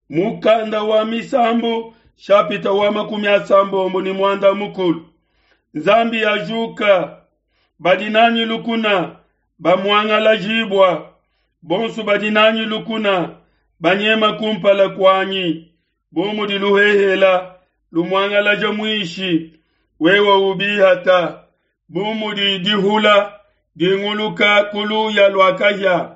Mukanda wa Misambu shapita wa 31. Nzambi ajuka, badi nanyi lukuna bamuangalajibua, bonso badi nanyi lukuna banyema kumpala kuanyi, bu mudi luhehela lumuangalaja muishi, wewe ubihata, bu mudi dihula dinguluka ku luya lua kahia.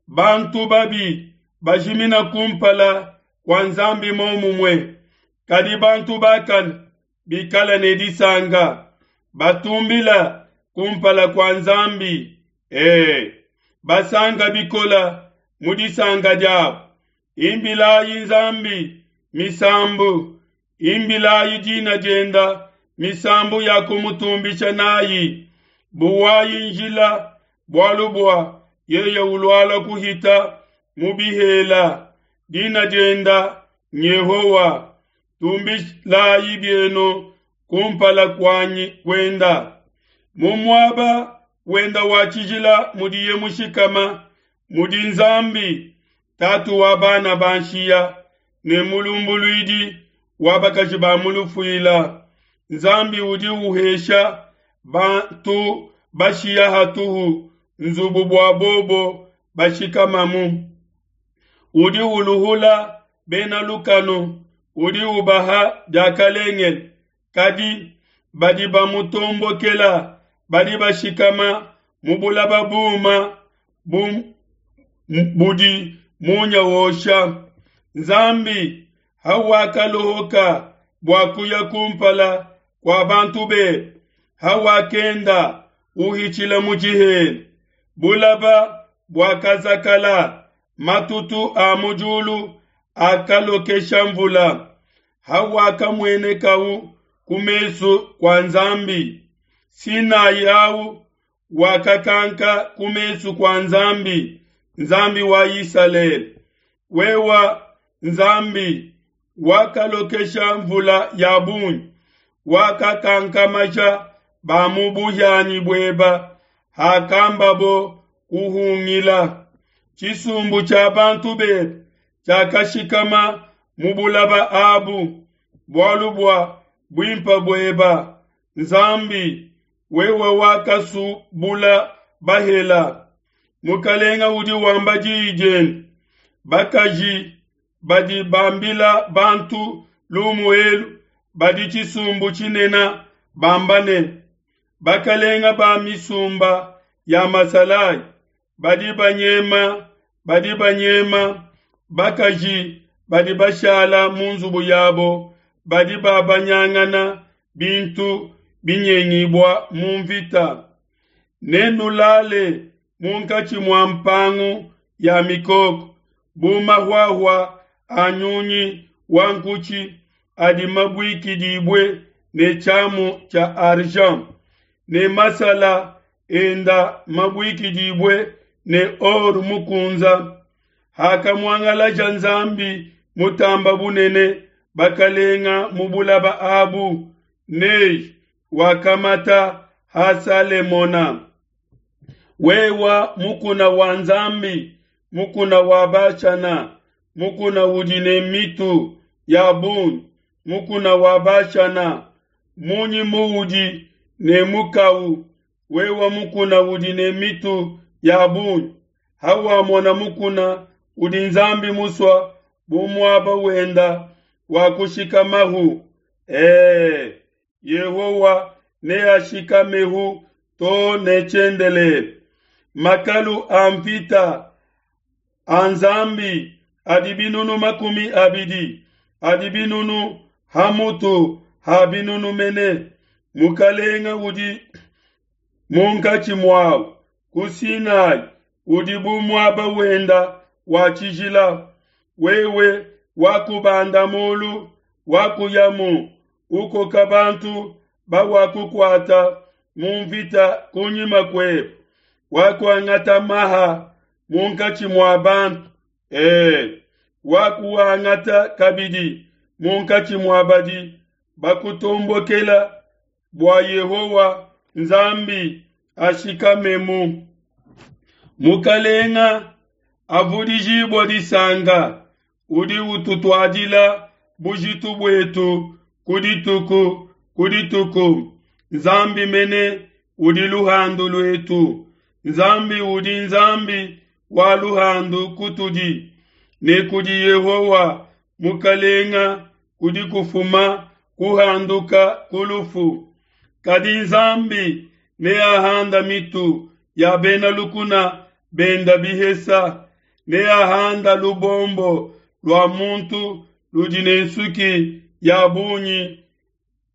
Bantu babi bajimina kumpala kua Nzambi momumue, kadi bantu bakane bikale ne disanka, batumbila kumpala kua Nzambi, ee, basanka bikola mu disanka diabo. Imbilayi Nzambi misambu, imbilayi dina dienda misambu ya kumutumbisha nayi. Buwayi njila, bualu bua yeye ulualua kuhita mu bihela. Dina dienda n'Yehowa. Tumbilayi bienu kumpala kuanyi kuenda. Mu muaba wenda wa tshijila mudiye mushikama, mudi Nzambi tatu wa bana ba nshiya ne mulumbuluidi wa bakaji ba mu lufuila. Nzambi udi uhesha bantu bashiya hatuhu nzubu bua bobo bashikamamu. Udi uluhula bena lukanu, udi ubaha diakalengele, kadi badi bamutombokela badi bashikama mu bulaba buma bu budi munya wosha. Nzambi hawakalohoka bua kuya kumpala kua bantu bebe, hawakenda uhitshila mu tshihela, bulaba buakazakala, matutu a mu diulu akalokesha mvula. Hawakamuenekau ku mesu kua Nzambi, Sinai au wakakanka ku mesu kua Nzambi, Nzambi wa Isalele. Wewa Nzambi wakalokesha mvula ya bungi, wakakankamaja ba mu buhianyi bueba hakambabo kuhungila. Tshisumbu tshia bantu bebe tshiakashikama mu bulaba abu, bualu bua buimpe bueba Nzambi, wewe wakasubula bahela. Mukalenga udi wamba diyi diende, bakaji badi bambila bantu lumu elu badi tshisumbu tshinene bamba ne, bakalenga ba misumba ya masalayi badi banyema, badi banyema, bakaji badi bashala mu nzubu yabo badi babanyangana bintu binyengibua mu mvita. Nenulale munkatshi mua mpangu ya mikoko bu mahuahua a nyunyi wa nkutshi adi mabuikidibue ne tshiamu tshia argent, ne masala enda mabuikidibue ne or mukunza. Hakamuangalaja Nzambi mutamba bunene bakalenga mu bulaba abu, neyi wakamata ha Salemona. Wewa mukuna wa Nzambi, mukuna wa Bashana, mukuna udi ne mitu ya bungi, mukuna wa Bashana, munyi muudi ne mukau, wewa mukuna udi ne mitu ya bungi? Hawamona mukuna udi Nzambi musua bu muaba wenda wa kushikamahu, Yehowa neashikamehu to ne tshiendelele. Makalu a mvita a Nzambi adi binunu 20, adi binunu ha mutu ha binunu mene. Mukalenga udi munkatshi muawu ku Sinai udi bu muaba wenda wa tshijila. Wewe wakubanda mulu, wakuyamu, ukoka bantu bawakukuata mu mvita kunyima kuebe, wakuangata maha munkatshi mua bantu, wakuangata kabidi munkatshi mua badi bakutombokela, bua Yehowa Nzambi ashikamemu. Mukalenga avudijibua disanka. Udi ututuadila bujitu buetu ku dituku ku dituku. Nzambi mene udi luhandu luetu. Nzambi udi Nzambi wa luhandu kutudi, ne kudi Yehowa Mukalenga kudi kufuma kuhanduka ku lufu. Kadi Nzambi neahanda mitu ya bena lukuna benda bihesa, neahanda lubombo lua muntu ludi ne nsuki ya bungi,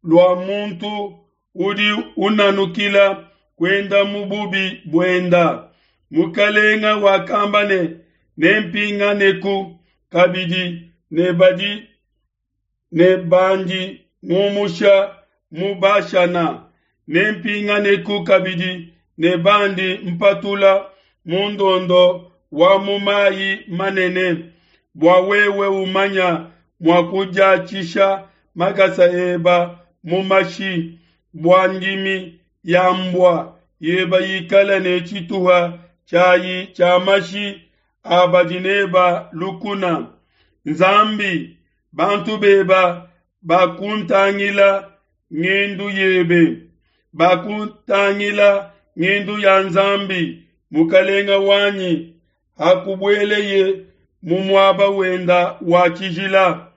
lua muntu udi unanukila kuenda mu bubi buenda. Mukalenga wakamba ne, nempinganeku kabidi ne badi ne bandi ngumusha mu Bashana, nempinganeku kabidi ne bandi mpatula mu ndondo wa mu mayi manene, bua wewe umanya mua kudiatshisha makasa eba mu mashi, bua ndimi ya mbua yeba ikala ne tshituha tshiayi tshia mashi a badi neba lukuna. Nzambi, bantu beba bakuntangila ngendu yebe, bakuntangila ngendu ya Nzambi mukalenga wanyi, hakubueleye mu muaba wenda wa tshijila.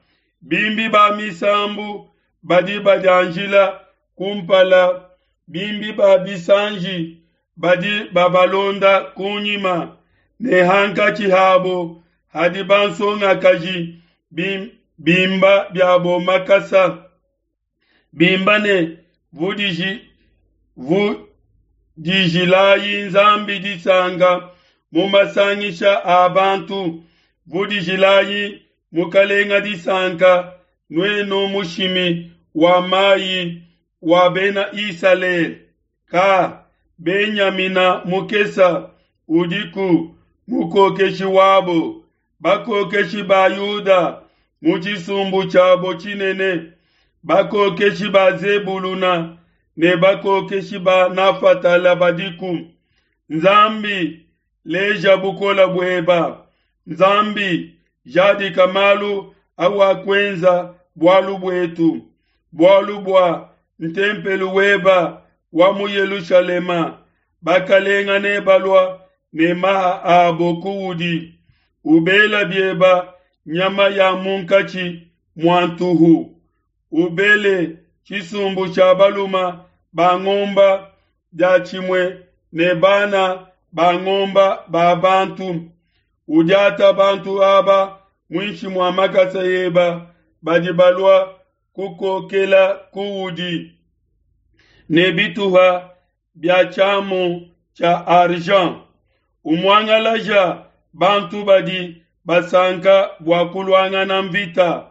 Bimbi ba misambu badi badianjila kumpala, bimbi ba bisanji badi babalonda kunyima, ne hankatshi habo hadi bansongakaji bimba biabo makasa, bimba ne vudijilayi Nzambi disanka mu masangisha a bantu, vudijilayi Mukalenga disanka, nuenu mushimi wa mayi wa bena Isalele. Ka Benyamina mukesa udiku mukokeshi wabo, bakokeshi ba Yuda mu tshisumbu tshiabo tshinene, bakokeshi ba Zebuluna ne bakokeshi ba Nafatala badiku. Nzambi, leja bukola bueba. Nzambi, jadika malu awakuenza bualu buetu, bualu bua ntempelu weba wa mu Yelushalema. Bakalenga ne balua ne maha abo kuudi, ubela bieba nyama ya munkatshi mua ntuhu, ubele tshisumbu tshia baluma ba ngomba dia tshimue ne bana ba ngomba ba bantu. Udiata bantu aba muinshi mua makasa eba, badi balua kukokela kuudi ne bituha bia tshiamu tshia argent. Umuangalaja bantu badi basanka bua kuluangana mvita,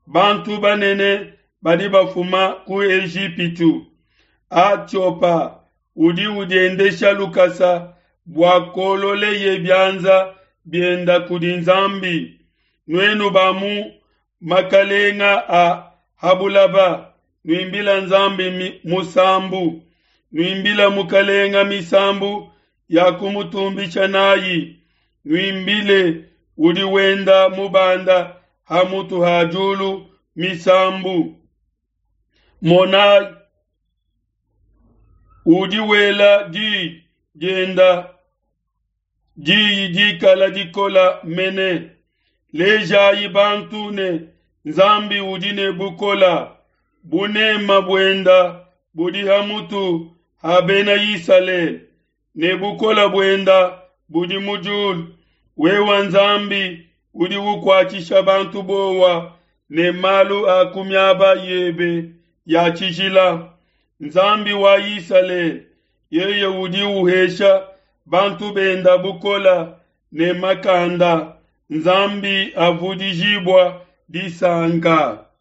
bantu banene badi bafuma ku Ejipitu. Atiopa udi udiendesha lukasa bua kololeye bianza bienda kudi Nzambi. Nuenu ba mu makalenga a habulaba, nuimbila Nzambi musambu, nuimbila Mukalenga misambu ya kumutumbisha nayi, nuimbile udi wenda mubanda ha mutu ha diulu misambu. Monayi, udi wela diyi dienda, diyi dikala dikola mene. Lejayi bantu ne Nzambi udi ne bukola, bunema buenda budi ha mutu ha bena Isalele, ne bukola buenda budi mu diulu. Wewa Nzambi udi ukuatshisha bantu bowa ne malu a ku miaba yebe ya tshijila. Nzambi wa Isalele, yeye udi uhesha bantu benda bukola ne makanda. Nzambi avudijibua disanka.